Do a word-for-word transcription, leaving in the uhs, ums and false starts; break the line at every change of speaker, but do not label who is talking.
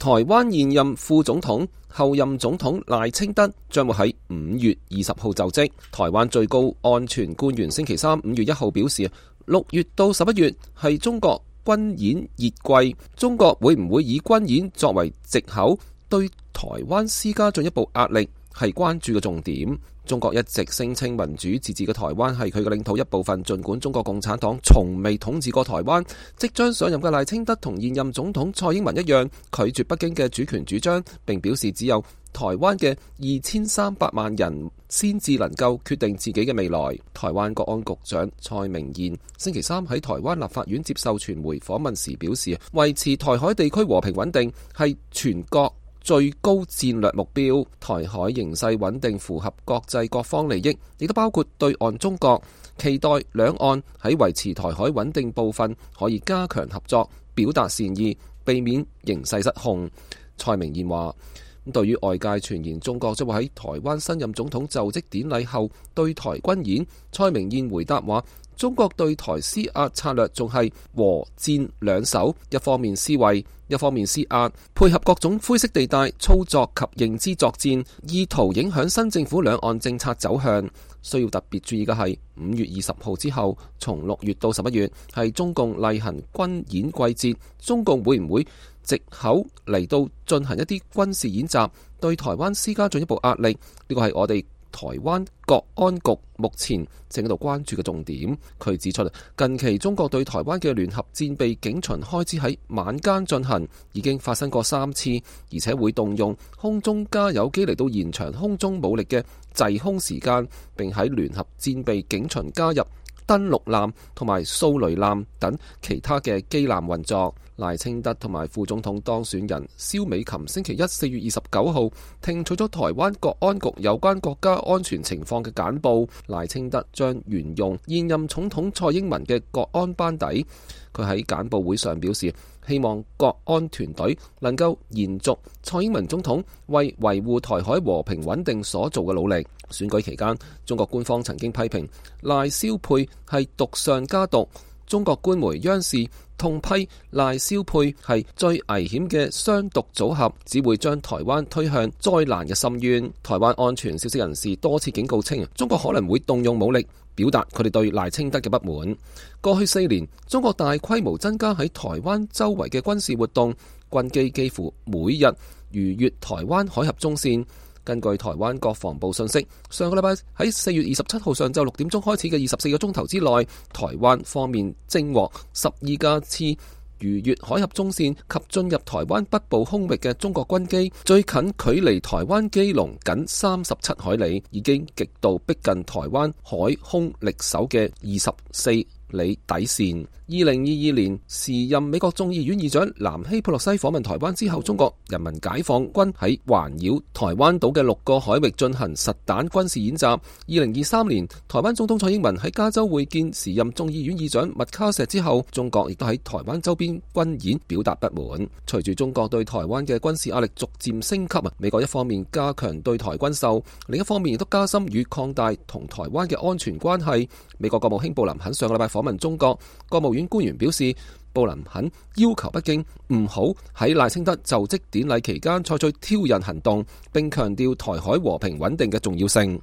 台灣現任副總統、後任總統賴清德將會喺五月二十號就職。台灣最高安全官員星期三五月一號表示，六月到十一月係中國軍演熱季，中國會唔會以軍演作為藉口對台灣施加進一步壓力，係關注嘅重點。中國一直聲稱民主自治嘅台灣係佢嘅領土一部分，盡管中國共產黨從未統治過台灣。即將上任嘅賴清德同現任總統蔡英文一樣，拒絕北京嘅主權主張，並表示只有台灣嘅二千三百萬人先至能夠決定自己嘅未來。台灣國安局長蔡明彥星期三喺台灣立法院接受傳媒訪問時表示，維持台海地區和平穩定係全國最高戰略目標。台海形勢穩定符合國際各方利益，亦都包括對岸中國。期待兩岸喺維持台海穩定部分可以加強合作，表達善意，避免形勢失控。蔡明彥話，對於外界傳言中國將會喺台灣新任總統就職典禮後對台軍演，蔡明彥回答話，中國對台施壓策略仲係和戰兩手，一方面施惠，一方面施壓，配合各種灰色地帶操作及認知作戰，意圖影響新政府兩岸政策走向。需要特別注意嘅係，五月二十號之後，從六月到十一月係中共例行軍演季節，中共會唔會藉口嚟到進行一啲軍事演習，對台灣施加進一步壓力？呢個係我哋台灣國安局目前正喺度關注嘅重點。佢指出，近期中國對台灣嘅聯合戰備警巡開始喺晚間進行，已經發生過三次，而且會動用空中加油機嚟到延長空中武力嘅滯空時間，並喺聯合戰備警巡加入登陸艦同埋掃雷艦等其他嘅機艦運作。賴清德同埋副總統當選人蕭美琴星期一四月二十九號聽取咗台灣國安局有關國家安全情況嘅簡報。賴清德將沿用現任總統蔡英文嘅國安班底。佢喺簡報會上表示，希望國安團隊能夠延續蔡英文總統為維護台海和平穩定所做嘅努力。選舉期間，中國官方曾經批評賴蕭配係毒上加毒。中國官媒央視痛批賴蕭配係最危險嘅雙毒組合，只會將台灣推向災難嘅深淵。台灣安全消息人士多次警告稱，中國可能會動用武力，表達佢哋對賴清德嘅不滿。過去四年，中國大規模增加喺台灣周圍嘅軍事活動，軍機幾乎每日逾越台灣海峽中線。根據台灣國防部信息，上個禮拜喺四月二十七號上晝六點鐘開始嘅二十四個鐘頭之內，台灣方面偵獲十二架次逾越海峽中線及進入台灣北部空域嘅中國軍機，最近距離台灣基隆僅三十七海里，已經極度逼近台灣海空力守嘅二十四里底線。二零二二年，時任美國眾議院議長南希佩洛西訪問台灣之後，中國人民解放軍喺環繞台灣島嘅六個海域進行實彈軍事演習。二零二三年，台灣總統蔡英文喺加州會見時任眾議院議長麥卡錫之後，中國亦都喺台灣周邊軍演表達不滿。隨住中國對台灣嘅軍事壓力逐漸升級，美國一方面加強對台軍售，另一方面亦都加深與擴大同台灣嘅安全關係。美國國務卿布林肯上個禮拜訪問中國，國務院官員表示，布林肯要求北京唔好喺賴清德就職典禮期間採取挑釁行動，並強調台海和平穩定嘅重要性。